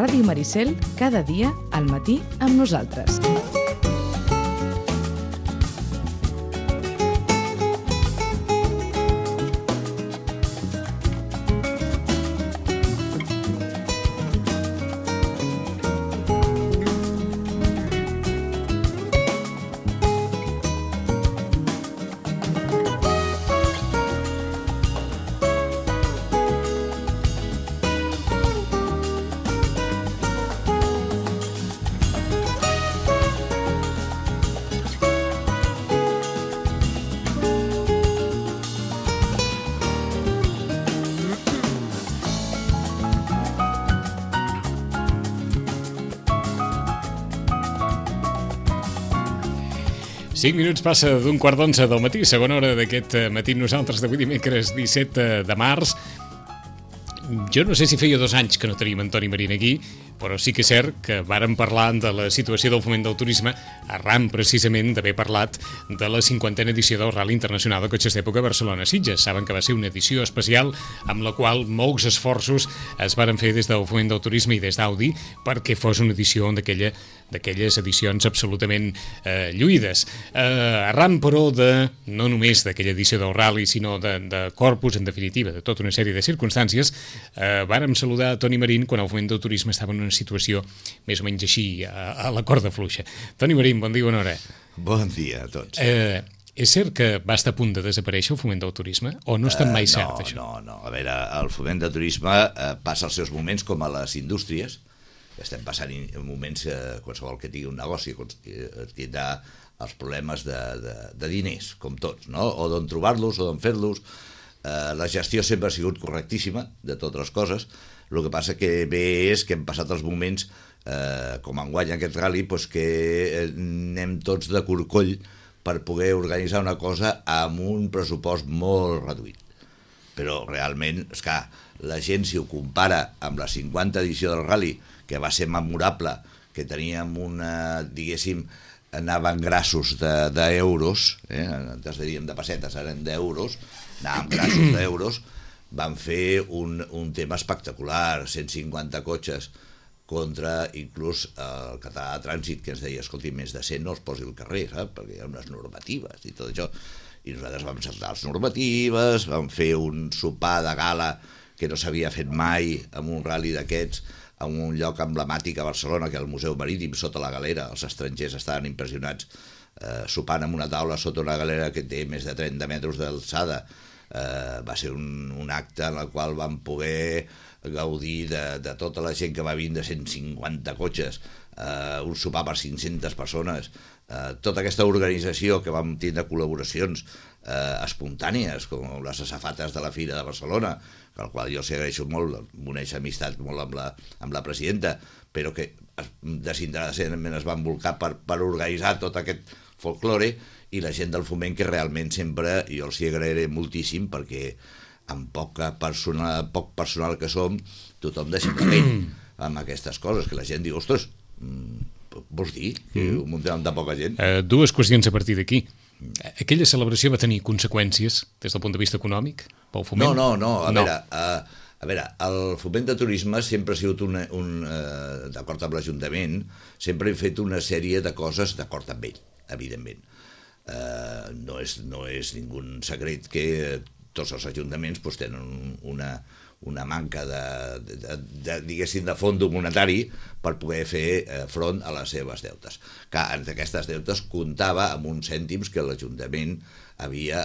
Ràdio Maricel, cada dia al matí amb nosaltres. Cinc minuts passa d'un quart d'onze del matí, segona hora d'aquest matí nosaltres d'avui dimecres 17 de març. Jo no sé si feia 2 anys que no teníem Toni Marín aquí, però sí que és cert que vàrem parlar de la situació del foment del turisme arran precisament d'haver parlat de la 50a edició del Rally Internacional de Cotxes d'Època Barcelona-Sitges. Saben que va ser una edició especial amb la qual molts esforços es varen fer des del foment del turisme i des d'Audi perquè fos una edició d'aquelles edicions absolutament lluïdes. Arran, però, no només d'aquella edició del Rally, sinó de corpus, en definitiva, de tota una sèrie de circumstàncies, vàrem saludar Toni Marín quan el foment del turisme estava en una situació més o menys així, a la corda fluixa. Toni Marín, bon dia, bona hora. Bon dia a tots. És cert que va estar a punt de desaparèixer el foment del turisme? O no està mai cert, això? No. A veure, el foment del turisme passa els seus moments com a les indústries. Estem passant moments, qualsevol que tingui un negoci tindrà els problemes de diners, com tots, no? O d'on trobar-los o d'on fer-los. La gestió sempre ha sigut correctíssima de totes les coses. El que passa que bé és que hem passat els moments, com enguany aquest rally, que anem tots de corcoll per poder organitzar una cosa amb un pressupost molt reduït. Però realment, esclar, la gent, si ho compara amb la 50 edició del rally, que va ser memorable, que teníem diguéssim, anaven grassos d'euros, antes diríem de pessetes, ara d'euros, anàvem grassos d'euros, van fer un tema espectacular, 150 cotxes contra inclús el català de trànsit, que ens deia, escolti, més de 100 no els posi al carrer, saps? Perquè hi ha unes normatives i tot això. I nosaltres vam saltar les normatives, vam fer un sopar de gala que no s'havia fet mai en un rally d'aquests, en un lloc emblemàtic a Barcelona, que és el Museu Marítim, sota la galera. Els estrangers estaven impressionats sopant en una taula sota una galera que té més de 30 metres d'alçada. Va ser un acte en el qual vam poder gaudir de tota la gent que va vindre, de 150 cotxes, un sopar per 500 persones, tota aquesta organització que vam tindre col·laboracions espontànies, com les asafates de la Fira de Barcelona, al qual jo s'hi agraeixo molt, m'uneix amistat molt amb la presidenta, però que desinteressadament es van volcar per organitzar tot aquest folklore, i la gent del foment, que realment sempre jo els hi agrairé moltíssim, perquè amb poc personal que som, tothom deixa de pell amb aquestes coses, que la gent diu, ostres, vols dir que ho muntem amb tan poca gent? 2 qüestions a partir d'aquí. Aquella celebració va tenir conseqüències des del punt de vista econòmic pel foment? No. A veure, el foment de turisme sempre ha sigut d'acord amb l'Ajuntament, sempre hem fet una sèrie de coses d'acord amb ell, evidentment. No és ningú secret que tots els ajuntaments tenen una manca diguéssim, de fons monetari per poder fer front a les seves deutes. Que entre aquestes deutes comptava amb uns cèntims que l'Ajuntament havia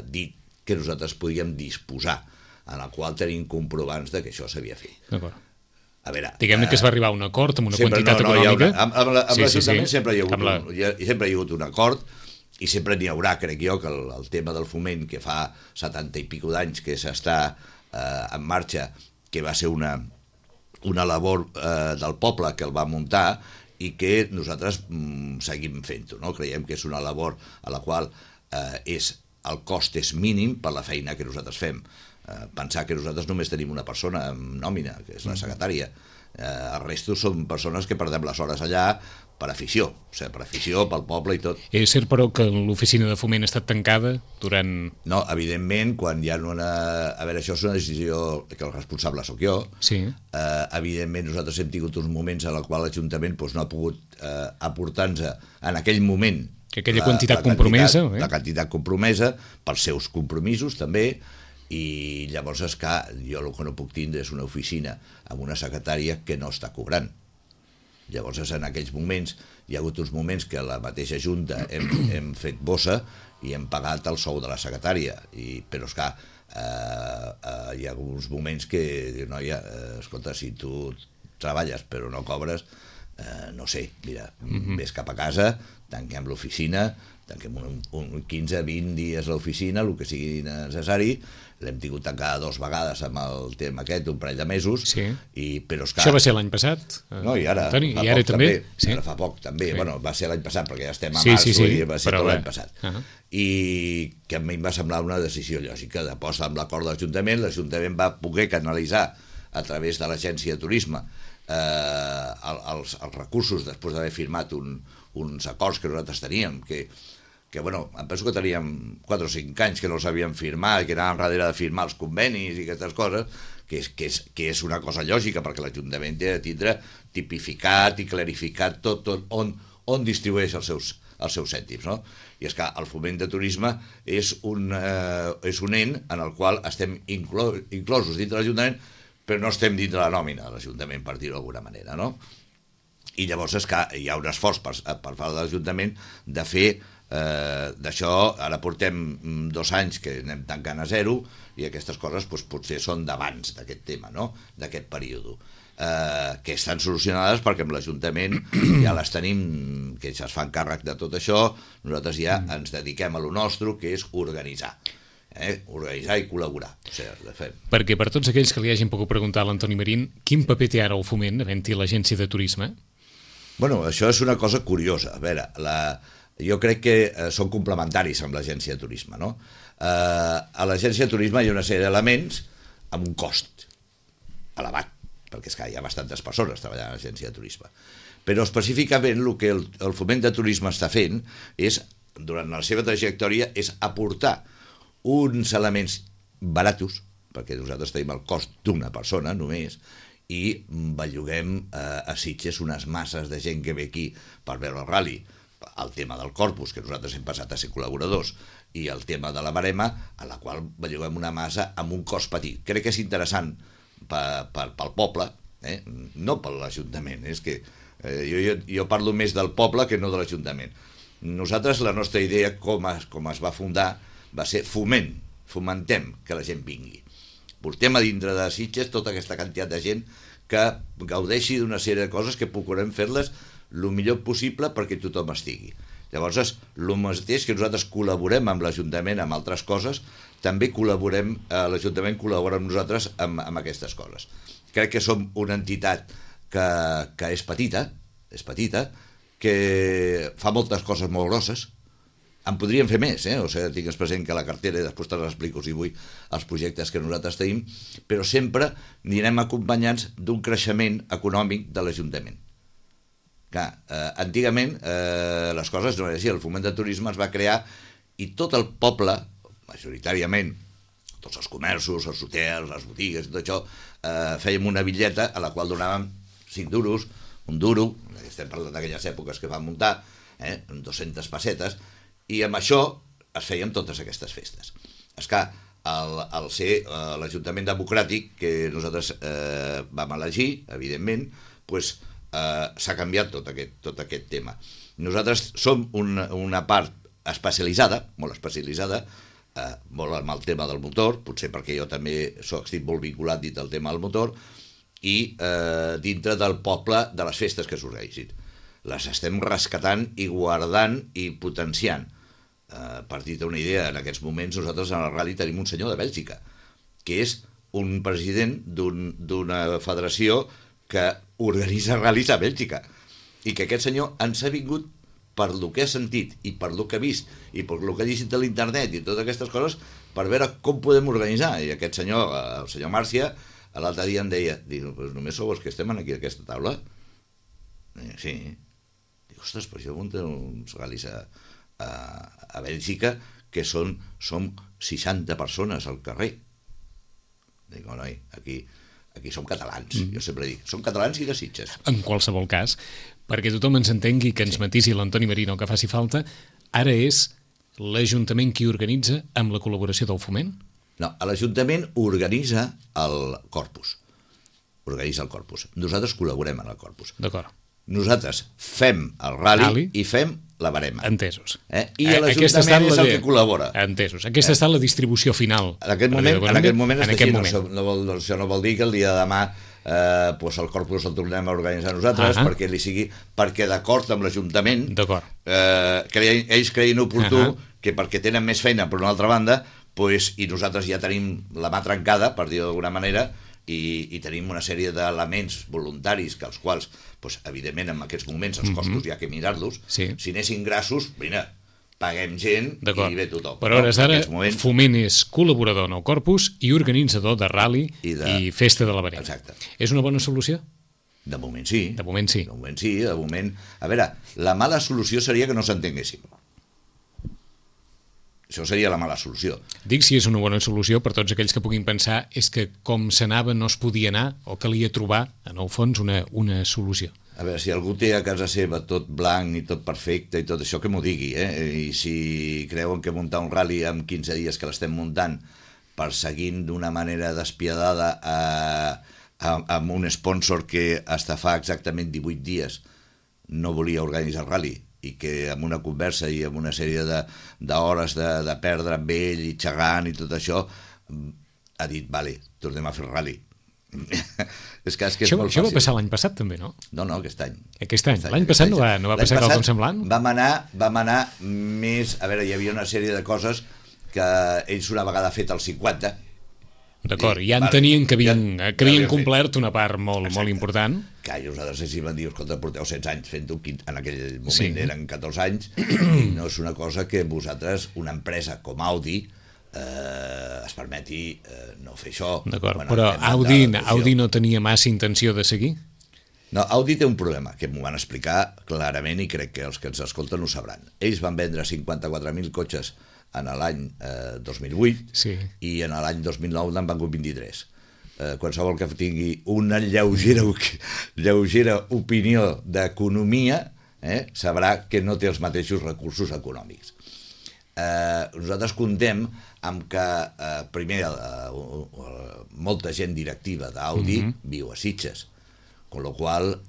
dit que nosaltres podíem disposar, en el qual tenim comprovants que això s'havia fet. D'acord. A veure, diguem-ne que es va arribar a un acord amb una quantitat econòmica. Amb l'Ajuntament sempre hi ha hagut un acord, i sempre n'hi haurà, crec jo, que el tema del foment, que fa 70 i pico d'anys que s'està en marxa, que va ser una labor del poble que el va muntar i que nosaltres seguim fent-ho, no? Creiem que és una labor a la qual el cost és mínim per la feina que nosaltres fem. Pensar que nosaltres només tenim una persona amb nòmina, que és la secretària. El resto són persones que perdem les hores allà per afició, o sigui, per afició, pel poble i tot. És cert, però, que l'oficina de foment ha estat tancada durant... No, evidentment, quan hi ha una... A veure, això és una decisió que el responsable sóc jo. Sí. Evidentment, nosaltres hem tingut uns moments en els quals l'Ajuntament no ha pogut aportar-nos en aquell moment aquella quantitat compromesa. La quantitat compromesa pels seus compromisos, també, i llavors és que jo el que no puc tindre és una oficina amb una secretària que no està cobrant. Llavors, en aquells moments, hi ha hagut uns moments que la mateixa Junta hem fet bossa i hem pagat el sou de la secretària, però és que hi ha uns moments que diu, noia, escolta, si tu treballes però no cobres, no sé, mira, vés cap a casa, tanquem l'oficina, tanquem un 15-20 dies l'oficina, el que sigui necessari. L'hem tingut tancada 2 vegades amb el tema aquest, un parell de mesos, sí. Però és que... Això va ser l'any passat? No, i ara, Antoni, i ara també? Sí. Ara fa poc també, sí. Bueno, va ser l'any passat perquè ja estem a sí, març, sí. Va ser tot l'any passat. I que a mi em va semblar una decisió lògica de posta amb l'acord de l'Ajuntament va poder canalitzar a través de l'agència de turisme els recursos després d'haver firmat uns acords que nosaltres teníem, que bueno, em penso que teníem 4 o 5 anys que no els havíem firmat, que anàvem darrere de firmar els convenis i aquestes coses, que és una cosa lògica, perquè l'Ajuntament té de tindre tipificat i clarificat tot on distribueix els seus cèntims, no? I és que el foment de turisme és un ent en el qual estem inclosos dintre de l'Ajuntament, però no estem dintre la nòmina de l'Ajuntament, per dir-ho d'alguna manera, no? I llavors és que hi ha un esforç per part de l'Ajuntament de fer d'això. Ara portem 2 anys que anem tancant a 0 i aquestes coses potser són d'abans d'aquest tema, no? D'aquest període, que estan solucionades perquè amb l'Ajuntament ja les tenim, que ja es fan càrrec de tot això. Nosaltres ja ens dediquem a lo nostre, que és organitzar i col·laborar. O sigui, de fet. Perquè per tots aquells que li hagin pogut preguntar a l'Antoni Marín, quin paper té ara el foment, havent-hi l'agència de turisme? Bueno, això és una cosa curiosa. A veure, jo crec que són complementaris amb l'agència de turisme, no? A l'agència de turisme hi ha una sèrie d'elements amb un cost elevat, perquè és que hi ha bastantes persones treballant a l'agència de turisme. Però específicament el que el foment de turisme està fent és, durant la seva trajectòria, és aportar uns elements baratos, perquè nosaltres tenim el cost d'una persona només, i belluguem a Sitges unes masses de gent que ve aquí per veure el ral·li, el tema del corpus, que nosaltres hem passat a ser col·laboradors, i el tema de la barema, a la qual belluguem una massa amb un cost petit. Crec que és interessant pel poble, no per l'Ajuntament, és que jo parlo més del poble que no de l'Ajuntament. Nosaltres, la nostra idea, com es va fundar, va ser fomentem que la gent vingui. Portem a dintre de Sitges tota aquesta quantitat de gent que gaudeixi d'una sèrie de coses que procurem fer-les el millor possible perquè tothom estigui. Llavors, el mateix que nosaltres col·laborem amb l'Ajuntament amb altres coses, també l'Ajuntament col·labora amb nosaltres amb aquestes coses. Crec que som una entitat que és petita, que fa moltes coses molt grosses. En podríem fer més, o sigui, tingues present que la cartera, i després te l'explico si vull, els projectes que nosaltres tenim, però sempre anirem acompanyats d'un creixement econòmic de l'Ajuntament. Clar, antigament les coses no eren així, el foment de turisme es va crear i tot el poble, majoritàriament, tots els comerços, els hotels, les botigues, tot això, fèiem una bitlleta a la qual donàvem 5 duros, un duro, estem parlant d'aquelles èpoques que van muntar, 200 pessetes, i amb això es feien totes aquestes festes. És que al ser l'Ajuntament Democràtic, que nosaltres vam elegir, evidentment, s'ha canviat tot aquest tema. Nosaltres som una part especialitzada, molt especialitzada, molt amb el tema del motor, potser perquè jo també estic molt vinculat dintre del tema del motor, i dintre del poble de les festes que s'organitzin. Les estem rescatant i guardant i potenciant. Per dir-te una idea, en aquests moments nosaltres en el ral·li tenim un senyor de Bèlgica, que és un president d'una federació que organitza ral·lis a Bèlgica, i que aquest senyor ens ha vingut per lo que ha sentit i per lo que ha vist i per lo que ha llegit a l'internet i totes aquestes coses per veure com podem organitzar. I aquest senyor, el senyor Màrcia, l'altre dia em deia, només sou els que estem aquí a aquesta taula? Sí. ostres, però jo munto uns ral·lis a Bèlgica que som 60 persones al carrer. Dic, noi, aquí som catalans, jo sempre dic, som catalans i de Sitges. En qualsevol cas, perquè tothom ens entengui, que ens matisi l'Antoni Marino que faci falta, ara és l'Ajuntament qui organitza amb la col·laboració del Foment? No, l'Ajuntament organitza el Corpus. Nosaltres col·laborem en el Corpus. D'acord. Nosaltres fem el ral·li i fem la barema. Entesos. I l'Ajuntament és el que col·labora. Entesos. Aquesta ha estat la distribució final. En aquest moment està així. Això no vol dir que el dia de demà el Corpus el tornem a organitzar nosaltres perquè d'acord amb l'Ajuntament ells creien oportú que perquè tenen més feina per una altra banda i nosaltres ja tenim la mà trencada, per dir-ho d'alguna manera, i tenim una sèrie d'elements voluntaris que els quals, evidentment, en aquests moments els costos hi ha que mirar-los. Si anessin grassos, mira, paguem gent i ve tothom. Però a hores d'ara, Foment és col·laborador en el Corpus i organitzador de ral·li i festa de la barema. Exacte. És una bona solució? De moment sí. De moment sí. A veure, la mala solució seria que no s'entenguéssim. Això seria la mala solució. Dic si és una bona solució per tots aquells que puguin pensar és que com s'anava no es podia anar o calia trobar, en el fons, una solució. A veure, si algú té a casa seva tot blanc i tot perfecte i tot això, que m'ho digui, I si creuen que muntar un ral·li en 15 dies que l'estem muntant perseguint d'una manera despiadada amb un sponsor que hasta fa exactament 18 dies no volia organitzar el ral·li i que amb una conversa i amb una sèrie d'hores de perdre amb ell i xerrant i tot això ha dit, vale, tornem a fer el ral·li. És que és molt fàcil. Això va passar l'any passat també, no? No, aquest any. L'any passat no va passar quelcom semblant? Vam anar més... A veure, hi havia una sèrie de coses que ells una vegada fet el 50... D'acord, ja entenien que havien complert una part molt important. Que nosaltres els van dir, escolta, porteu 16 anys fent-ho, en aquell moment eren 14 anys, i no és una cosa que vosaltres, una empresa com Audi, es permeti no fer això. D'acord, però Audi no tenia massa intenció de seguir? No, Audi té un problema, que m'ho van explicar clarament i crec que els que ens escolten ho sabran. Ells van vendre 54.000 cotxes en l'any 2008 i en l'any 2009 n'han vengut 23. Qualsevol que tingui una lleugera opinió d'economia sabrà que no té els mateixos recursos econòmics. Nosaltres comptem amb que primer molta gent directiva d'Audi viu a Sitges, con lo qual,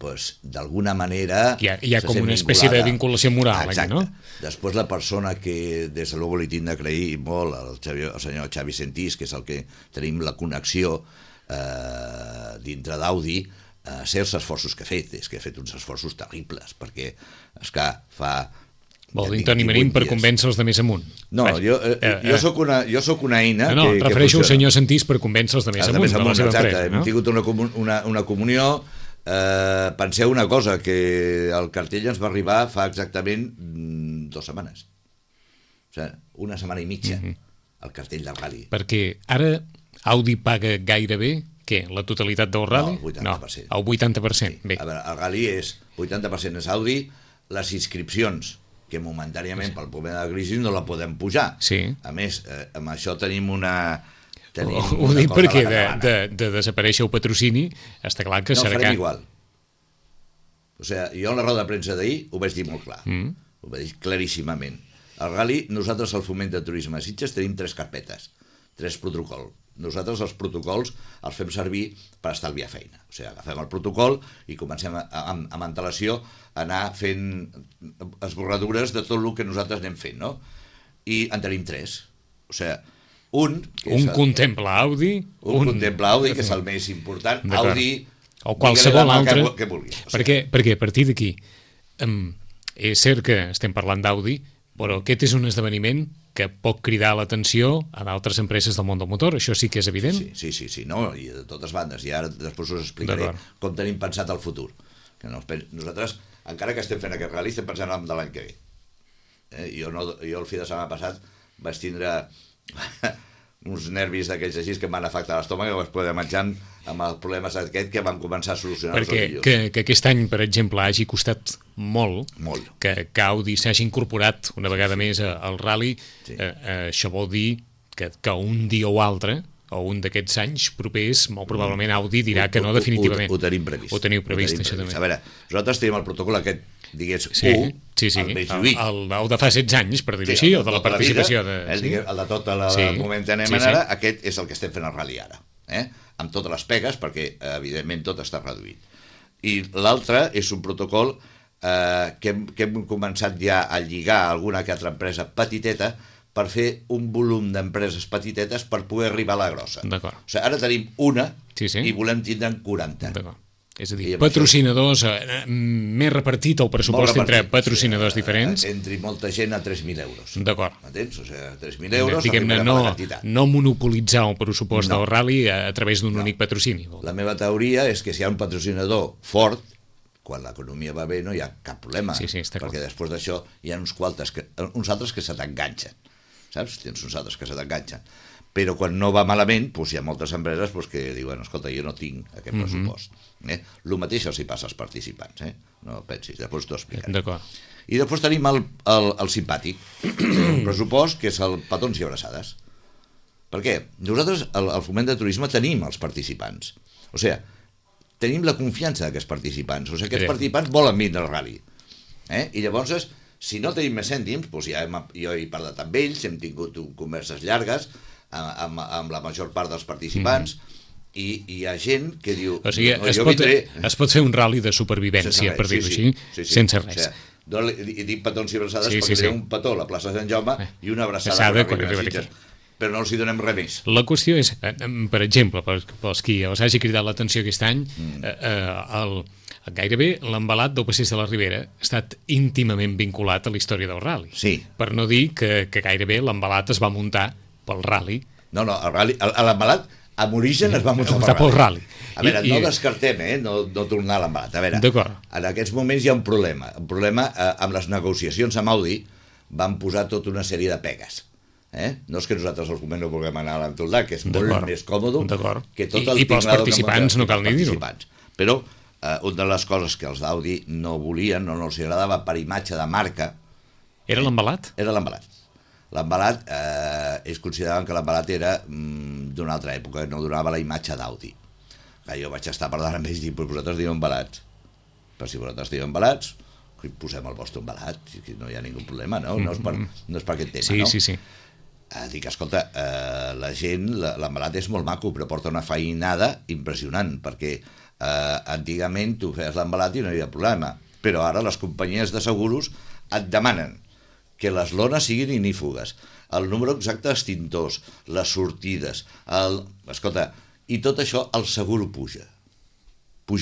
d'alguna manera... Hi ha com una espècie de vinculació moral, aquí, no? Després la persona que, des de luego, li tinc d'agrair molt, el senyor Xavi Sentís, que és el que tenim la connexió dintre d'Audi, els esforços que ha fet. És que ha fet uns esforços terribles, perquè, esclar, fa... Vol dir Toni Marín per convèncer els de més amunt. No, jo soc una eina... No, refereixo al senyor Sentís per convèncer els de més amunt de la seva empresa. Hem tingut una comunió. Penseu una cosa, que el cartell ens va arribar fa exactament 2 setmanes. O sigui, una setmana i mitja, el cartell del ral·li. Perquè ara Audi paga gairebé, què, la totalitat del ral·li? No, el 80%. El 80%. Bé. A veure, el ral·li és 80% és Audi, les inscripcions, que momentàniament pel problema de la crisi no la podem pujar. A més, amb això tenim una... Ho dic perquè de desaparèixer el patrocini està clar que serà... No, farem igual. O sigui, jo en la roda de premsa d'ahir ho vaig dir molt clar. Ho vaig dir claríssimament. Al ral·li, nosaltres al Foment de Turisme de Sitges tenim 3 carpetes, 3 protocols. Nosaltres els protocols els fem servir per estalviar feina. O sigui, agafem el protocol i comencem amb antelació a anar fent esborradures de tot el que nosaltres anem fent, no? I en tenim 3. O sigui, un contempla Audi, contempla Audi, que és el més important. Audi, o qualsevol altre, que vulgui. Perquè a partir d'aquí és cert que estem parlant d'Audi, però aquest és un esdeveniment que pot cridar l'atenció a d'altres empreses del món del motor, això sí que és evident. Sí, no, i de totes bandes, i ara després us explicaré com tenim pensat el futur. Nosaltres, encara que estem fent aquest ral·li, estem pensant en de l'any que ve. Jo el fi de setmana passat vaig tindre uns nervis d'aquells així que em van afectar l'estómac i vaig poder menjar amb els problemes aquest que vam començar a solucionar els dilluns. Perquè que aquest any, per exemple, hagi costat molt. Que Audi s'hagi incorporat una vegada més al Rally, això vol dir que un dia o altre, o un d'aquests anys propers, molt probablement Audi dirà que no definitivament. Ho tenim previst. Ho teniu previst, això també. A veure, nosaltres tenim el protocol aquest, digués, el més lluït. El de fa 16 anys, per dir-ho així, o de la participació. El de tot el moment que anem ara, aquest és el que estem fent al Rally ara, amb totes les pegues, perquè evidentment tot està reduït. I l'altre és un protocol que hem començat ja a lligar a alguna que altra empresa petiteta per fer un volum d'empreses petitetes per poder arribar a la grossa. D'acord. O sigui, ara tenim una i volem tindre'n 40. D'acord. És a dir, patrocinadors, més repartit el pressupost entre patrocinadors diferents. Entre molta gent a 3.000 euros. D'acord. M'entens? O sigui, 3.000 euros... Diguem-ne, no monopolitzar el pressupost del Rally a través d'un únic patrocini. La meva teoria és que si hi ha un patrocinador fort, quan l'economia va bé no hi ha cap problema, perquè després d'això hi ha uns altres que se t'enganxen. Saps? Tens uns altres que se t'enganxen. Però quan no va malament, hi ha moltes empreses que diuen, escolta, jo no tinc aquest pressupost. El mateix els hi passa als participants, no pensis, després t'ho explicaré. D'acord. I després tenim el simpàtic, un pressupost que és el petons i abraçades. Per què? Nosaltres, al Foment de Turisme, tenim els participants. O sigui, tenim la confiança d'aquests participants. O sigui, aquests participants volen vindre al Rally. I llavors, si no tenim més cèntims, ja jo he parlat amb ells, hem tingut converses llargues amb la major part dels participants, i hi ha gent que diu... O sigui, es pot fer un rally de supervivència, per dir-ho així, sense res. I dic petons i abraçades perquè hi ha un petó a la plaça de Sant Jaume i una abraçada quan arriba a Sitges, però no els hi donem res més. La qüestió és, per exemple, pels qui els hagi cridat l'atenció aquest any, gairebé l'embalat del Passeig de la Ribera ha estat íntimament vinculat a la història del rally. Sí. Per no dir que gairebé l'embalat es va muntar pel rally. No, l'embalat amb origen es va muntar pel rally. A veure, no descartem, no tornar a l'embalat. A veure, en aquests moments hi ha un problema. Un problema amb les negociacions amb Audi van posar tota una sèrie de pegues. No és que nosaltres al Foment no vulguem anar a l'Empordà, que és molt més còmode que tot el i pels participants no cal ni dir-ho. Però una de les coses que els d'Audi no volien, no els agradava per imatge de marca... Era l'embalat? Era l'embalat. L'embalat, ells consideraven que l'embalat era d'una altra època, no donava la imatge d'Audi. Jo vaig estar parlant amb ells i dic, vosaltres diuen embalats. Però si vosaltres diuen embalats, posem el vostre embalat, no hi ha ningú problema, no? No és per aquest tema, no? Sí. Dic, escolta, la gent, l'embalat és molt maco, però porta una feinada impressionant, perquè antigament tu feies l'embalat i no hi havia problema, però ara les companyies de seguros et demanen que les lones siguin ignífugues, el número exacte d'extintors, les sortides, escolta, i tot això el seguro puja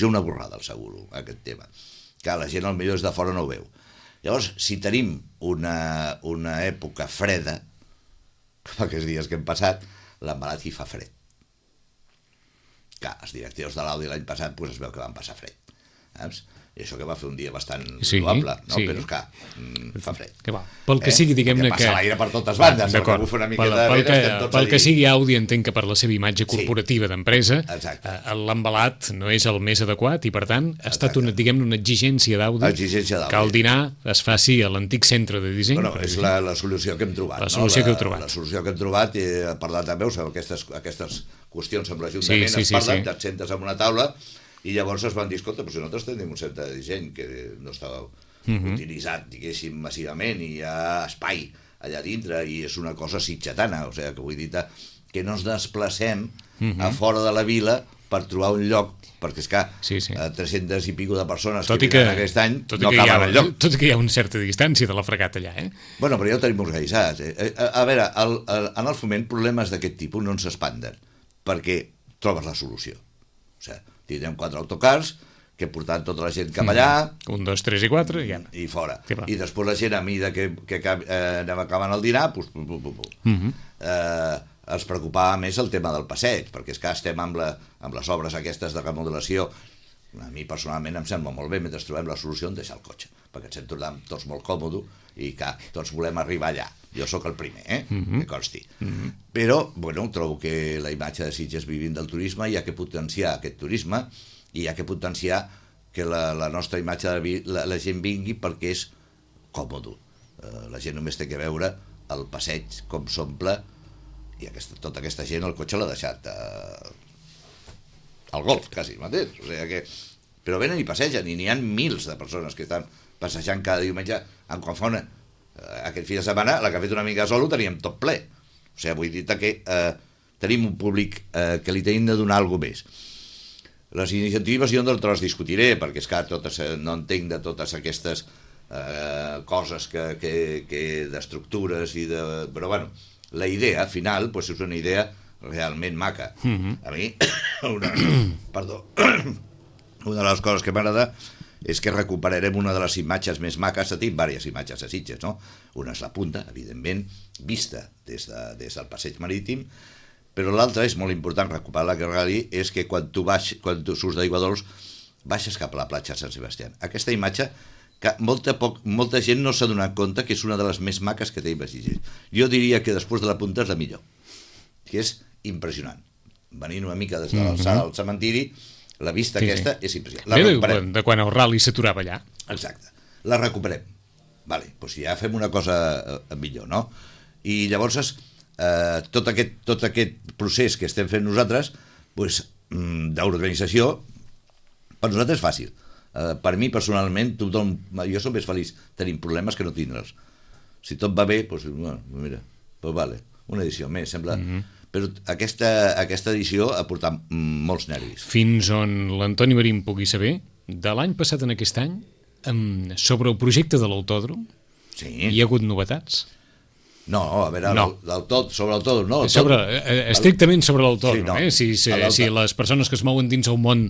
una borrada el seguro, aquest tema, que la gent potser des de fora no ho veu. Llavors, si tenim una època freda, com aquests dies que hem passat, l'embalat hi fa fred. Clar, els directius de l'Audi l'any passat es veu que van passar fred, saps? I això que va fer un dia bastant probable, no? Però és clar, fa fred. Pel que sigui, diguem-ne que... passa l'aire per totes bandes, que bufa una miqueta de vent, estem tots allí. Pel que sigui, Audi entenc que per la seva imatge corporativa d'empresa, l'embalat no és el més adequat i, per tant, ha estat una exigència d'Audi que el dinar es faci a l'antic centre de disseny. Bueno, és la solució que hem trobat. La solució que heu trobat. La solució que hem trobat, he parlat també, aquestes qüestions amb l'Ajuntament, es parlen, et sentes en una taula i llavors es van dir, escolta, però si nosaltres tenim un centre de disseny que no estava utilitzat, diguéssim, massivament, i hi ha espai allà dintre, i és una cosa sitgetana, o sigui, que vull dir que no ens desplacem a fora de la vila per trobar un lloc, perquè és que 300 i pico de persones que venen aquest any no acaben el lloc. Tot i que hi ha una certa distància de la Fregat allà, Bueno, però ja ho tenim organitzat. A veure, en el Foment problemes d'aquest tipus no ens s'espanden, perquè trobes la solució. O sigui, tindrem 4 autocars que portaran tota la gent cap allà... 1, 2, 3 i 4 i fora. I després la gent, a mida que anem acabant el dinar, ens preocupava més el tema del passeig, perquè és que estem amb les obres aquestes de remodelació. A mi personalment em sembla molt bé, mentre trobem la solució, deixar el cotxe, perquè ens hem tornat tots molt còmodes i que tots volem arribar allà. Jo sóc el primer, que consti. Però, bueno, trobo que la imatge de Sitges vivint del turisme hi ha que potenciar aquest turisme i hi ha que potenciar que la nostra imatge la gent vingui perquè és còmode. La gent només té que veure el passeig, com s'omple, i tota aquesta gent el cotxe l'ha deixat al golf, quasi, mateix. O sigui que... Però venen i passegen, i n'hi ha mils de persones que estan passejant cada diumenge en Confona. Aquest fi de setmana, la que ha fet una mica sol, ho teníem tot ple. O sigui, vull dir que tenim un públic que li tenim de donar alguna més. Les iniciatives jo no te les discutiré, perquè és que no entenc de totes aquestes coses d'estructures i de... Però bueno, la idea final és una idea realment maca. A mi, una de les coses que m'agrada és que recuperarem una de les imatges més maques. Tenim diverses imatges a Sitges, no? Una és la punta, evidentment, vista des del passeig marítim, però l'altra és molt important recuperar la Rally, és que quan tu surts d'Aiguadols baixes cap a la platja de Sant Sebastià. Aquesta imatge que molta gent no s'ha donat compte que és una de les més maques que tenim a Sitges. Jo diria que després de la punta és la millor, que és impressionant. Venint una mica des de l'alçada al cementiri, la vista aquesta és impressionant. De quan el rally s'aturava allà. Exacte. La recuperem. Vale, doncs ja fem una cosa millor, no? I llavors tot aquest procés que estem fent nosaltres d'organització per nosaltres és fàcil. Per mi personalment jo soc més feliç tenint problemes que no tindre'ls. Si tot va bé, doncs mira, vale, una edició més, sembla... Però aquesta edició ha portat molts nervis. Fins on l'Antoni Marín pugui saber, de l'any passat en aquest any, sobre el projecte de l'autòdrom, hi ha hagut novetats? No, a veure, sobre l'autòdrom, no. Estrictament sobre l'autòdrom, si les persones que es mouen dins el món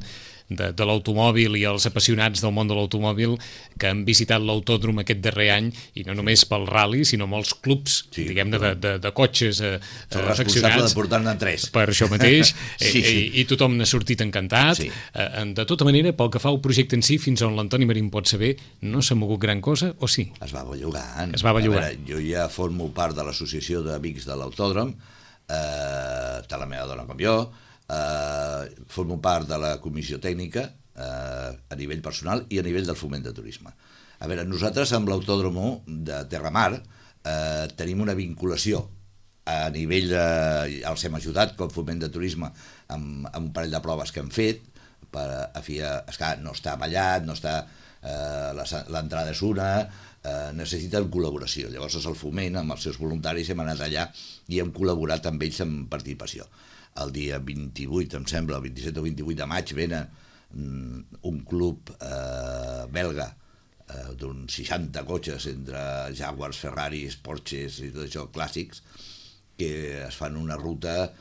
de l'automòbil i els apassionats del món de l'automòbil que han visitat l'autòdrom aquest darrer any, i no només pel rally, sinó molts clubs, diguem-ne, de cotxes afeccionats. De portar-ne 3. Per això mateix, i tothom n'ha sortit encantat. De tota manera, pel que fa al projecte en si, fins on l'Antoni Marín pot saber, no s'ha mogut gran cosa, o sí? Es va bellugant. Es va bellugant. Jo ja formo part de l'associació d'amics de l'autòdrom, tant la meva dona com jo, formo part de la comissió tècnica a nivell personal i a nivell del foment de turisme. A veure, nosaltres amb l'autòdromo de Terramar tenim una vinculació a nivell els hem ajudat com foment de turisme amb un parell de proves que hem fet no està ballat, no està l'entrada és una, necessiten col·laboració. Llavors el foment amb els seus voluntaris hem anat allà i hem col·laborat amb ells en participació. El dia 28, em sembla, el 27 o 28 de maig, venen un club belga d'uns 60 cotxes entre Jaguars, Ferraris, Porsches i tot això, clàssics, que es fan una ruta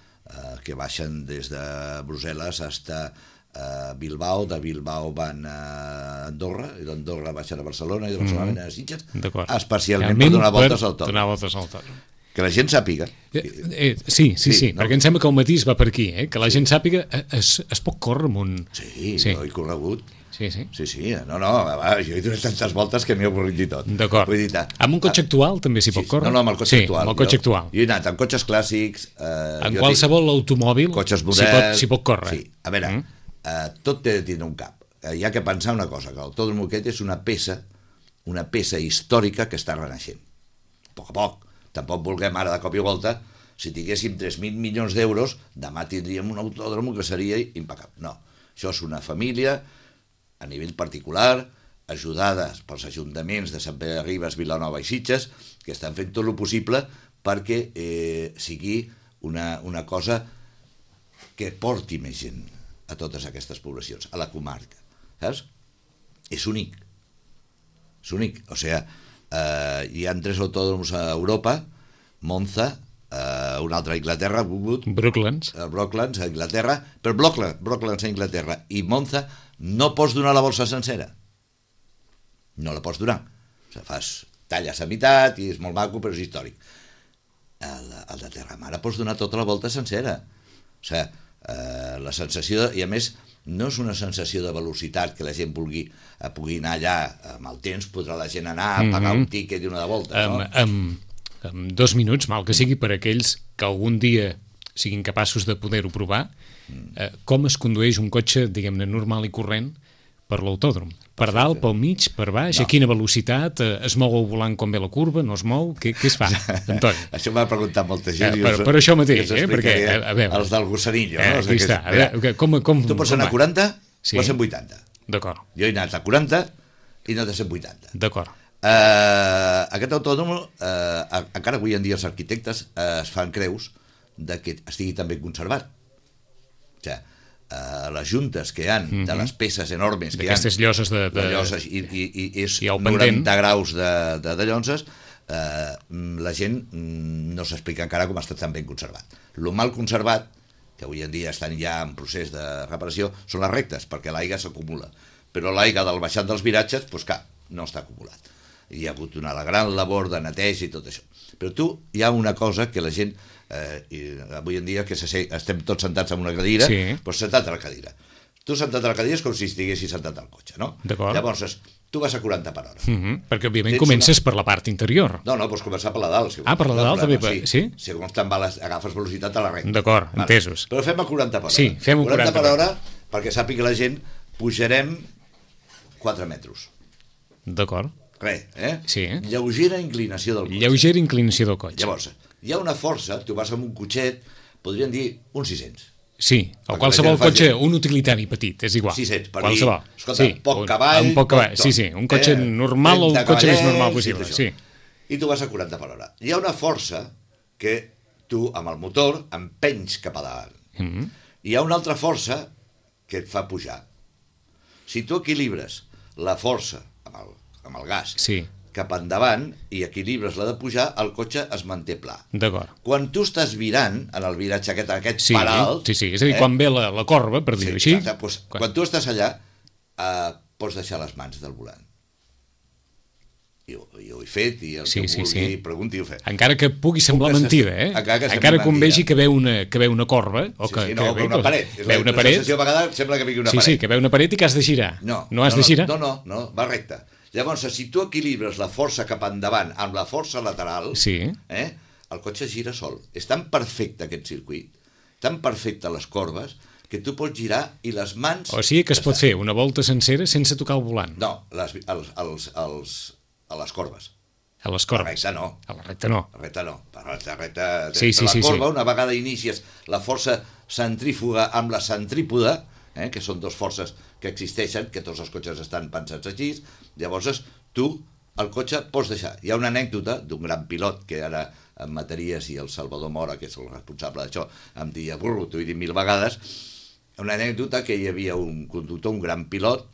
que baixen des de Brussel·les fins a Bilbao, de Bilbao van a Andorra, i d'Andorra baixen a Barcelona, i de Barcelona venen a Sitges, especialment per donar voltes al autòdrom. Que la gent sàpiga. Sí, perquè em sembla que el matí es va per aquí, que la gent sàpiga es pot córrer amb un... Sí, no he corregut. Sí. No, jo he donat tantes voltes que m'he avorrit i tot. D'acord. Amb un cotxe actual també s'hi pot córrer? No, amb el cotxe actual. Amb el cotxe actual. Jo he anat amb cotxes clàssics... En qualsevol automòbil s'hi pot córrer. Sí, a veure, tot té de tindre un cap. Hi ha que pensar una cosa, que l'autòdrom aquest és una peça històrica que està renaixent. A poc a poc. Tampoc vulguem ara de cop i volta, si tinguéssim 3.000 milions d'euros, demà tindríem un autòdrom que seria impecable. No, això és una família a nivell particular, ajudades pels ajuntaments de Sant Pere de Ribes, Vilanova i Sitges, que estan fent tot el possible perquè sigui una cosa que porti més gent a totes aquestes poblacions, a la comarca. Saps? És únic. O sigui, hi ha 3 autòdroms a Europa, Monza, un altre a Anglaterra, Brooklands a Anglaterra, però Brooklands a Anglaterra i Monza no pots donar la bolsa sencera. No la pots donar. O sigui, talles a meitat i és molt maco, però és històric. El de Terramar pots donar tota la volta sencera. O sigui, la sensació, i a més no és una sensació de velocitat que la gent pugui anar allà amb el temps, podrà la gent anar a pagar un tíquet i una de volta, no? en 2 minuts, mal que sigui per aquells que algun dia siguin capaços de poder-ho provar, com es condueix un cotxe, diguem-ne, normal i corrent per l'autòdrom? Per dalt, pel mig, per baix, a quina velocitat, es mou el volant quan ve la curva, no es mou, què es fa, Antoni? Això m'ha preguntat molta gent. Per això mateix, perquè, a veure... Els del gossarillo, no? Aquí està, a veure, com... Tu pots anar a 40 o a 180. D'acord. Jo he anat a 40 i no a 180. D'acord. Aquest autòdrom, encara avui en dia els arquitectes es fan creus de que estigui també conservat. O sigui, les juntes que hi ha de les peces enormes que hi ha, d'aquestes lloses de lloses i és i el 90 pendent. graus de lloses, la gent no s'explica encara com està tan ben conservat. Lo mal conservat, que avui en dia estan ja en procés de reparació, són les rectes, perquè l'aigua s'acumula, però l'aigua del baixat dels viratges, doncs clar, no està acumulat. Hi ha hagut una gran labor de neteja i tot això. Però hi ha una cosa que la gent, avui en dia que estem tots sentats en una cadira, doncs sentat a la cadira. Tu sentat a la cadira és com si estiguessis sentat al cotxe, no? Llavors, tu vas a 40 per hora. Perquè, òbviament, comences per la part interior. No, pots començar per la dalt. Per la dalt també? Sí? Segons te'n agafes velocitat a la recta. D'acord, entesos. Però fem a 40 per hora. Sí, fem-ho 40 per hora, perquè sàpiga la gent, pujarem 4 metres. D'acord. Res, Sí. Lleugera inclinació del cotxe. Lleugera inclinació del cotxe. Llavors, hi ha una força, tu vas amb un cotxet, podríem dir uns 600. Sí, o qualsevol cotxe, un utilitari petit, és igual. 600, per qualsevol. dir, escolta, poc cavall... Poc cavall, sí, un cotxe normal o un cotxe més normal possible, sí. I tu vas a 40 per hora. Hi ha una força que tu, amb el motor, empenys cap a davant. Hi ha una altra força que et fa pujar. Si tu equilibres la força amb el gas cap endavant i equilibres la de pujar, el cotxe es manté pla. D'acord. Quan tu estàs virant en el viratge aquest per alt... Sí, és a dir, quan ve la corba, per dir-ho així... Quan tu estàs allà, pots deixar les mans del volant. Jo ho he fet, i el que vulgui pregunti ho fet. Encara que pugui semblar mentida, encara que vegi que ve una corba, o que ve una paret. Ve una paret. La sensació a vegades sembla que vegi una paret. Sí, que ve una paret i que has de girar. No has de girar? No, va recte. Llavors, si tu equilibres la força cap endavant amb la força lateral, el cotxe gira sol. És tan perfecte aquest circuit, tan perfecte les corbes, que tu pots girar i les mans... O sigui que es pot fer una volta sencera sense tocar el volant. No, a les corbes. A les corbes. A la recta no. A la recta no. A la recta no. La corba, una vegada inicies la força centrífuga amb la centrípoda, que són dues forces que existeixen, que tots els cotxes estan pensats així, llavors tu el cotxe pots deixar. Hi ha una anècdota d'un gran pilot que ara en Mataries i el Salvador Mora, que és el responsable d'això, em deia, burro, t'ho he dit 1000 vegades, una anècdota que hi havia un conductor, un gran pilot,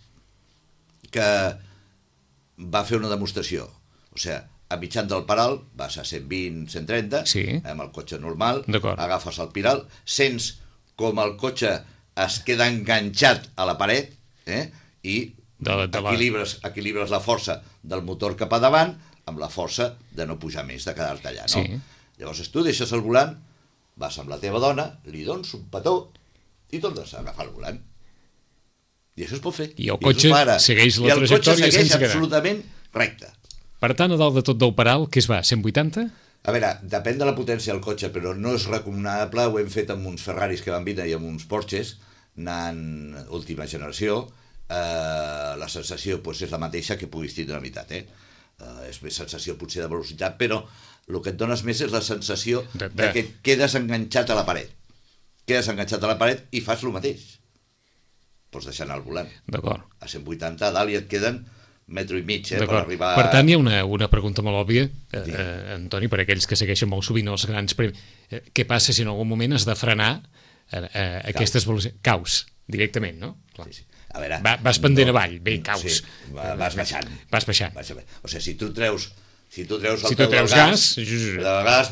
que va fer una demostració. O sigui, a mitjan del paral vas a 120, 130, amb el cotxe normal, agafes el piral, sents com el cotxe es queda enganxat a la paret i equilibres la força del motor cap a davant amb la força de no pujar més, de quedar-te allà, no? Llavors tu deixes el volant, vas amb la teva dona, li dones un petó i tornes a agafar el volant. I això es pot fer. I el cotxe segueix la trajectòria sense quedar. I el cotxe segueix absolutament recte. Per tant, a dalt de tot del paral, què es va, 180? A veure, depèn de la potència del cotxe, però no és recomanable, ho hem fet amb uns Ferraris que van vindre i amb uns Porsches, anant última generació, la sensació és la mateixa que puguis tindre a la meitat, és més sensació potser de velocitat, però el que et dones més és la sensació de que et quedes enganxat a la paret. Quedes enganxat a la paret i fas el mateix. Pots deixar anar el volant. D'acord. A 180 a dalt i et queden metro i mig, per arribar... Per tant, hi ha una pregunta molt òbvia, Antoni, per aquells que segueixen molt sovint els grans premis. Què passa si en algun moment has de frenar aquestes velocitats? Caus, directament, no? Sí. A veure, vas pendent avall, bé, caus. Sí, vas baixant. Vas baixant. O sigui, si tu treus el peu del gas,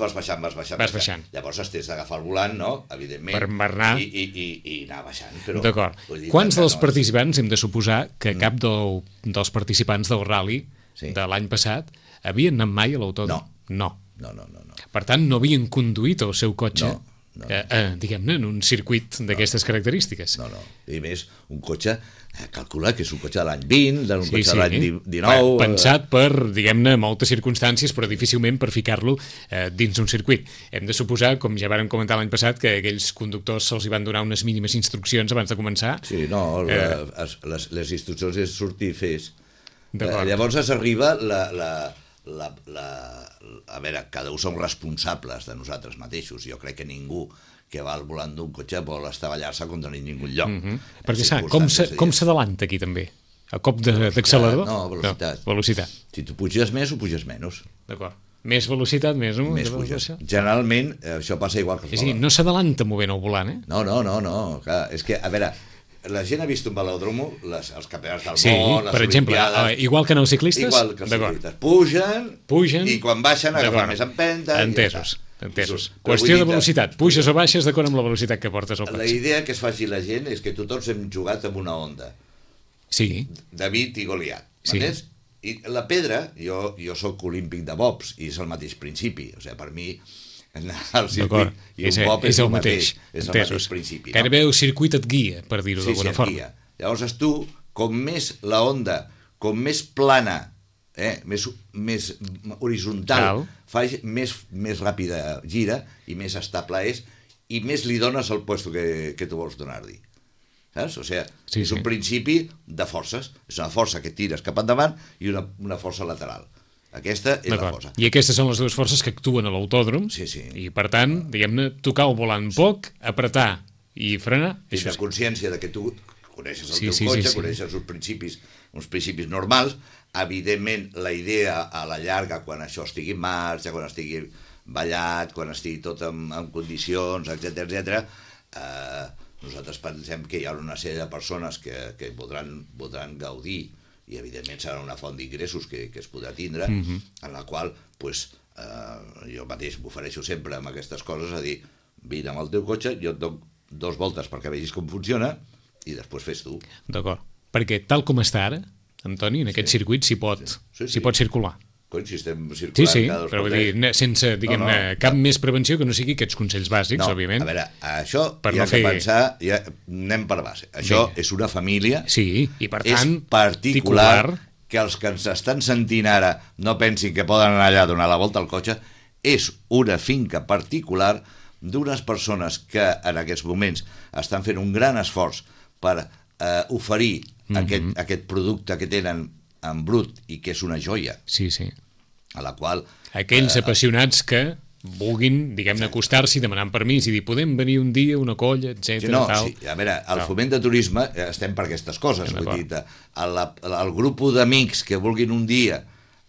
vas baixant. Llavors has d'agafar el volant, no? Evidentment. Per anar... I anar baixant. D'acord. Quants dels participants, hem de suposar que cap dels participants del rally de l'any passat havien anat mai a l'autòdrom? No. Per tant, no havien conduït el seu cotxe diguem-ne, en un circuit d'aquestes característiques. No. I més, un cotxe, calcula que és un cotxe de l'any 20, d'un cotxe de l'any 19... Pensat per, diguem-ne, moltes circumstàncies, però difícilment per ficar-lo dins d'un circuit. Hem de suposar, com ja vàrem comentar l'any passat, que aquells conductors se'ls van donar unes mínimes instruccions abans de començar. Sí, no, les instruccions és sortir i fes. Llavors s'arriba a veure, cada un som responsables de nosaltres mateixos. Jo crec que ningú que va al volant d'un cotxe vol estavellar-se contra ningú lloc. Perquè saps, com s'adalanta aquí també? A cop d'accelerador? No, velocitat. No, velocitat. Si tu puges més o puges menys. D'acord. Més velocitat, més puges. Generalment, això passa igual que els volants. No s'adalanta movent el volant, eh? No. Clar, és que, a veure, la gent ha vist un velòdromo, els campionats del món, les per exemple, igual que en els ciclistes? Igual que els ciclistes. Pugen i quan baixen agafen més empenta. Entesos. Qüestió de velocitat. Puges o baixes d'acord amb la velocitat que portes al cotxe. La idea que es faci la gent és que tots hem jugat amb una onda. Sí. David i Goliat. M'entens? I la pedra, jo soc olímpic de bobs i és el mateix principi. O sigui, per mi el circuit i un bob és el mateix. És el mateix principi. Gairebé el circuit et guia, per dir-ho d'alguna forma. Llavors tu, com més la onda, com més plana, més horitzontal, més ràpida gira i més estable és i més li dones el puesto que tu vols donar-li. Saps? O sigui, és un principi de forces. És una força que tires cap endavant i una força lateral. Aquesta és la força. I aquestes són les dues forces que actuen a l'autòdrom. Sí. I, per tant, diguem-ne, tocar el volant poc, apretar i frenar. Tens la consciència de que tu coneixes el teu cotxe, coneixes uns principis normals. Evidentment, la idea a la llarga, quan això estigui en marxa, quan estigui ballat, quan estigui tot en condicions, etc., nosaltres pensem que hi ha una sèrie de persones que podran gaudir i evidentment serà una font d'ingressos que es podrà tindre, en la qual jo mateix m'ofereixo sempre amb aquestes coses a dir, vine amb el teu cotxe, jo et dono 2 voltes perquè vegis com funciona i després fes tu. D'acord, perquè tal com està ara, Antoni, en aquest circuit s'hi pot circular. Si estem circulant cada 2 però vull dir, sense, diguem-ne, cap més prevenció que no sigui aquests consells bàsics, òbviament. A veure, això hi ha que pensar, anem per base. Això és una família, i per tant, és particular, que els que ens estan sentint ara no pensin que poden anar allà a donar la volta al cotxe, és una finca particular d'unes persones que en aquests moments estan fent un gran esforç per oferir aquest producte que tenen en brut i que és una joia. Sí. A la qual... Aquells apassionats que vulguin, diguem-ne, acostar-s'hi, demanant permís i dir, podem venir un dia, una colla, etc. A veure, al foment de turisme estem per aquestes coses. Vull dir, el grup d'amics que vulguin un dia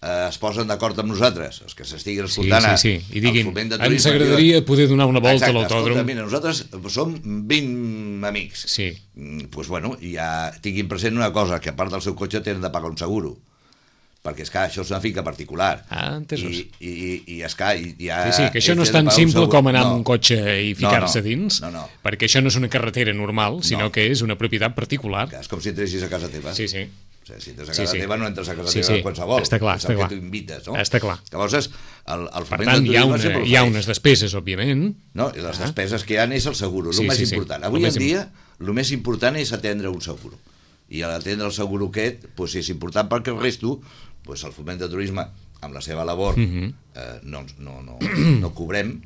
es posen d'acord amb nosaltres, els que s'estiguin escoltant i diguin, ens agradaria poder donar una volta a l'autòdrom. Escolta, mira, nosaltres som 20 amics. Doncs bueno, ja tinguin present una cosa, que a part del seu cotxe tenen de pagar un seguro, perquè és que això és una finca particular. Entesos. I és que ja... que això no és tan simple com anar amb un cotxe i ficar-se dins, perquè això no és una carretera normal, sinó que és una propietat particular. És com si entressis a casa teva. Sí. O sigui, si entres a casa teva, no entres a casa teva qualsevol. Està clar. És el que tu invites, no? Està clar. Llavors, per tant, hi ha unes despeses, òbviament. No, i les despeses que hi ha és el seguro, el més important. Avui en dia, el més important és atendre un seguro. I a l'atendre el seguro aquest és important perquè el resto, el foment de turisme, amb la seva labor, no cobrem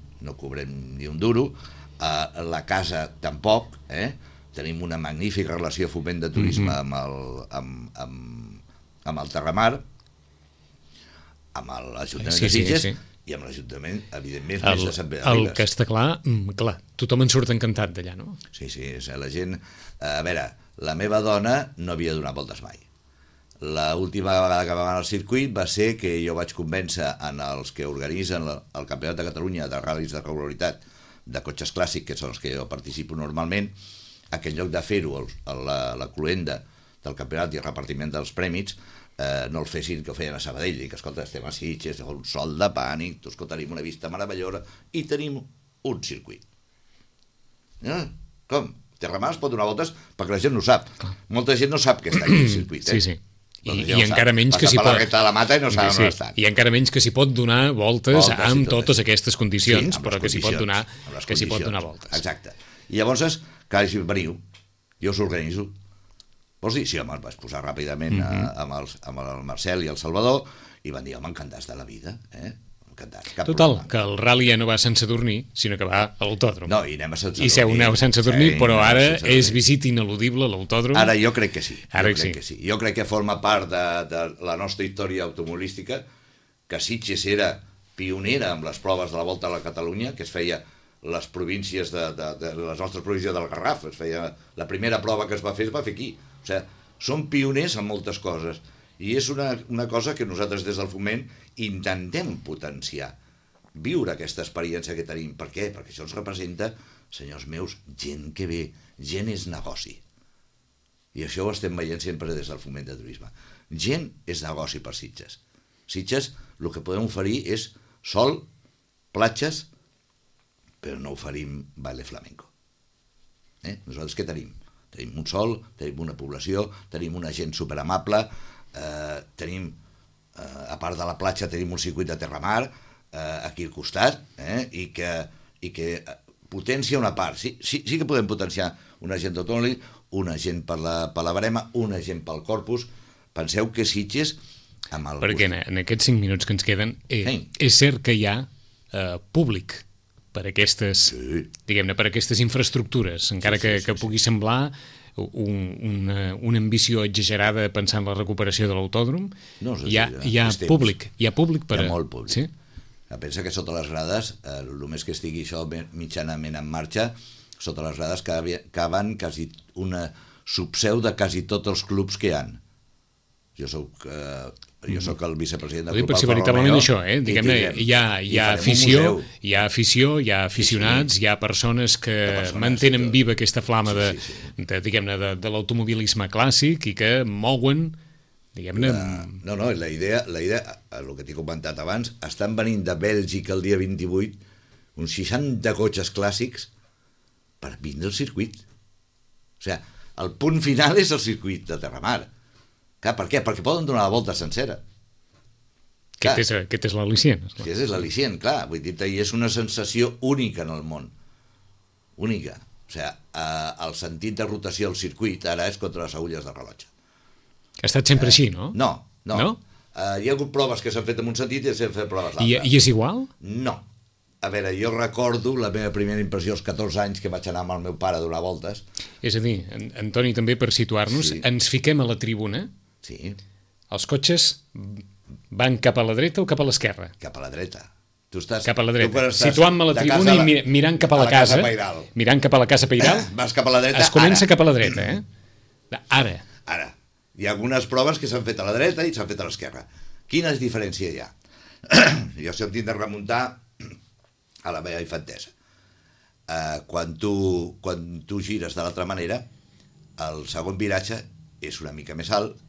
ni un duro, la casa tampoc, tenim una magnífica relació de foment de turisme amb el Terramar, amb l'Ajuntament de Sitges i amb l'Ajuntament, evidentment, més de Sant Pere de Ribes. El que està clar, tothom en surt encantat d'allà, no? Sí, la gent... A veure, la meva dona no havia donat voltes mai. L'última vegada que va anar al circuit va ser que jo vaig convèncer en els que organitzen el Campionat de Catalunya de ral·lis de regularitat de cotxes clàssics, que són els que jo participo normalment, que en lloc de fer-ho la cluenda del campionat i el repartiment dels prèmits, no el fessin que ho feien a Sabadell, i que, escolta, estem a Sitges, un sol de pànic, escolta, tenim una vista meravellosa i tenim un circuit. Com? Terramar es pot donar voltes perquè la gent no ho sap. Molta gent no sap que està aquí el circuit. Sí. I encara menys que s'hi pot... Passa per la recta de la mata i no saben on estan. I encara menys que s'hi pot donar voltes amb totes aquestes condicions, Sí, però que s'hi pot donar voltes. Exacte. I llavors, clar, veniu, jo us organitzo. Vols dir? Sí, home, vaig posar ràpidament amb el Marcel i el Salvador i van dir, home, encantats de la vida, encantats. Total, que el rally ja no va sense dormir, sinó que va a l'autòdrom. No, i anem a sense dormir. I seu aneu sense dormir, però ara és visit ineludible a l'autòdrom. Ara jo crec que sí. Ara jo crec que sí. Jo crec que forma part de la nostra història automobilística, que Sitges era pionera amb les proves de la Volta a la Catalunya, que es feia les províncies de les nostres províncies del Garraf, es feia la primera prova que es va fer aquí. O sigui, som pioners en moltes coses. I és una cosa que nosaltres des del Foment intentem potenciar, viure aquesta experiència que tenim. Per què? Perquè això ens representa, senyors meus, gent que ve, gent és negoci. I això ho estem veient sempre des del Foment de Turisme. Gent és negoci per Sitges. Sitges, el que podem oferir és sol, platges, però no oferim baile flamenco. Nosaltres què tenim? Tenim un sol, tenim una població, tenim una gent superamable, tenim, a part de la platja, tenim un circuit de terramar aquí al costat, i que potencia una part. Sí que podem potenciar una gent d'autònom, una gent per la barema, una gent pel corpus. Penseu que Sitges... Perquè en aquests 5 minuts que ens queden, és cert que hi ha públic per aquestes, diguem-ne, per aquestes infraestructures, encara que pugui semblar una ambició exagerada pensant en la recuperació de l'autòdrom. No, hi ha públic. Hi ha públic per... Hi ha molt públic. Sí? Pensa que sota les grades, només que estigui això mitjanament en marxa, sota les grades caben quasi una subseu de quasi tots els clubs que hi ha. Jo soc el vicepresident del Club Alfa Romeo. Si veritablement això, diguem-ne, hi ha afició, hi ha aficionats, hi ha persones que mantenen viva aquesta flama de l'automobilisme clàssic i que mouen, diguem-ne... No, la idea, el que t'he comentat abans, estan venint de Bèlgica el dia 28 uns 60 cotxes clàssics per vindre al circuit. O sigui, el punt final és el circuit de Terramar. Clar, per què? Perquè poden donar la volta sencera. Aquest és l'al·licient. Aquest és l'al·licient, clar. Vull dir, i és una sensació única en el món. Única. O sigui, el sentit de rotació al circuit ara és contra les agulles del rellotge. Ha estat sempre així, no? No. Hi ha hagut proves que s'han fet en un sentit i s'han fet proves l'altre. I és igual? No. A veure, jo recordo la meva primera impressió als 14 anys que vaig anar amb el meu pare a donar voltes. És a dir, Antoni, també per situar-nos, ens fiquem a la tribuna. Sí. Els cotxes van cap a la dreta o cap a l'esquerra? Cap a la dreta. Tu estàs, cap a la dreta. Situant-me a la tribuna i mirant cap a la casa. Mirant cap a la casa Pairal. Vas cap a la dreta. Es comença cap a la dreta, Ara. Hi ha algunes proves que s'han fet a la dreta i s'han fet a l'esquerra. Quina diferència hi ha? Jo sempre tinc de remuntar a la meva infantesa. Quan tu gires de l'altra manera, el segon viratge és una mica més alt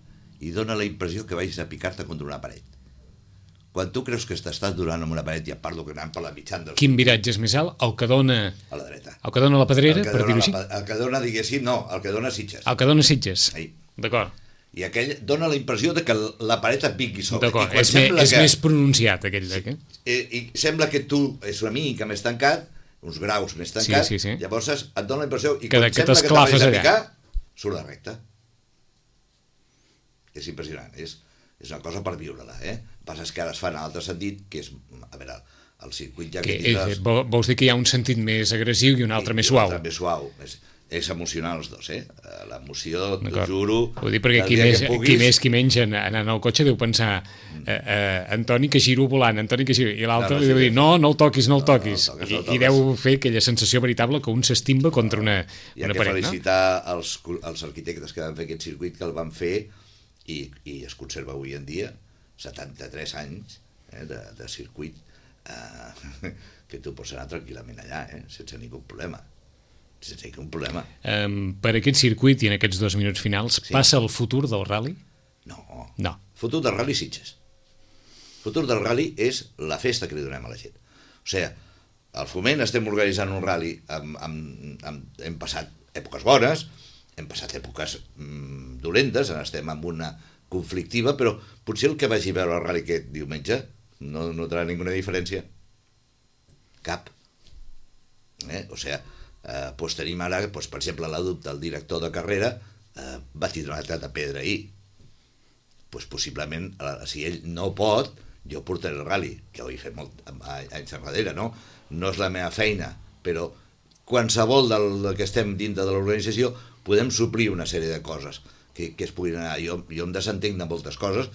i dona la impressió que vagis a picar-te contra una paret. Quan tu creus que t'estàs donant amb una paret, i a part que anant per la mitjana... Quin viratge és més alt? El que dona... A la dreta. El que dona la Pedrera, per dir-ho així? El que dona, diguéssim, no, el que dona Sitges. El que dona Sitges. D'acord. I aquell dona la impressió de que la paret et vingui sobre. D'acord, és més pronunciat aquell d'aquí. I sembla que tu és una mica més tancat, uns graus més tancat, sí. Llavors et dona la impressió, i que quan sembla que t'has a picar, surt la recta. És impressionant, és una cosa per viure-la, El que passa és que ara es fa en l'altre sentit, que és, a veure, el circuit ja que tindràs... Vols dir que hi ha un sentit més agressiu i un altre més suau? Més suau, és emocionant els dos, l'emoció, t'ho juro. Vull dir, perquè qui més menys anant al cotxe deu pensar Antoni que giro volant, Antoni que giro, i l'altre li deu dir no el toquis, i deu fer aquella sensació veritable que un s'estimba contra una paret. Hi ha que felicitar els arquitectes que van fer aquest circuit, que el van fer i es conserva avui en dia 73 anys de circuit que tu pots anar tranquil·lament allà, sense ningú problema. Sense cap problema. Per aquest circuit i en aquests 2 minuts finals, passa el futur del rally? No. El futur del rally Sitges. El futur del rally és la festa que li donem a la gent. O sigui, al Foment estem organitzant un rally, hem passat èpoques bones, hem passat èpoques dolentes, estem amb una conflictiva, però potser el que vagi a veure el rally aquest diumenge no notarà ninguna diferència. Cap. O sigui, doncs tenim ara, per exemple, el director de carrera va tindre una altra pedra ahir. Doncs possiblement, si ell no pot, jo portaré el rally, que ho he fet molt anys enrere, no? No és la meva feina, però qualsevol del que estem dintre de l'organització podem suplir una sèrie de coses que es puguin anar. Jo em desentenc de moltes coses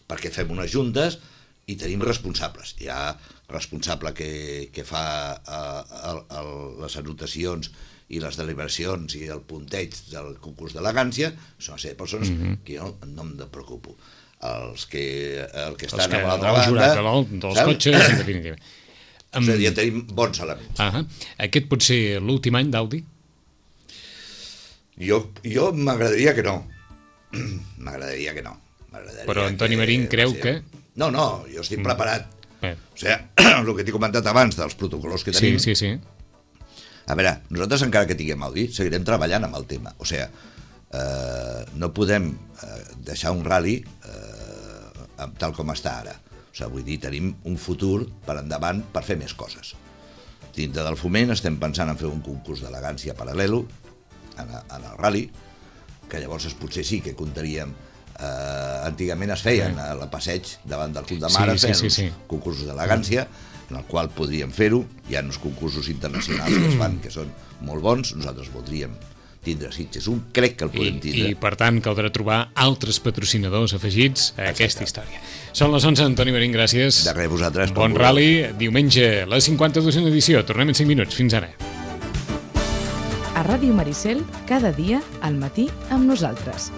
perquè fem unes juntes i tenim responsables. Hi ha responsable que fa les anotacions i les deliberacions i el punteig del concurs d'elegància, són una sèrie de persones que jo no em preocupo. El que estan a l'altra banda... dels cotxes, en definitiva. O sigui, ja tenim bons elements. Aquest pot ser l'últim any d'Audi? Jo m'agradaria que no. M'agradaria que no. Però Antoni Marín creu que... No, jo estic preparat. O sigui, el que t'he comentat abans dels protocols que tenim... Sí. A veure, nosaltres encara que tinguem Audi, seguirem treballant amb el tema. O sigui, no podem deixar un rally tal com està ara. O sigui, vull dir, tenim un futur per endavant per fer més coses. Dintre del foment estem pensant en fer un concurs d'elegància paral·lelo en el rally, que llavors potser sí que comptaríem... antigament es feien a la passeig davant del Club de Mare, feien concursos d'elegància, en el qual podríem fer-ho. Hi ha uns concursos internacionals que es fan, que són molt bons. Nosaltres voldríem tindre Sitges un, crec que el podem tindre. I per tant caldrà trobar altres patrocinadors afegits a aquesta història. Són les 11, Antoni Marín, gràcies. De res, vosaltres. Bon rally, diumenge, la 52a edició. Tornem en 5 minuts. Fins ara. A Ràdio Maricel, cada dia, al matí, amb nosaltres.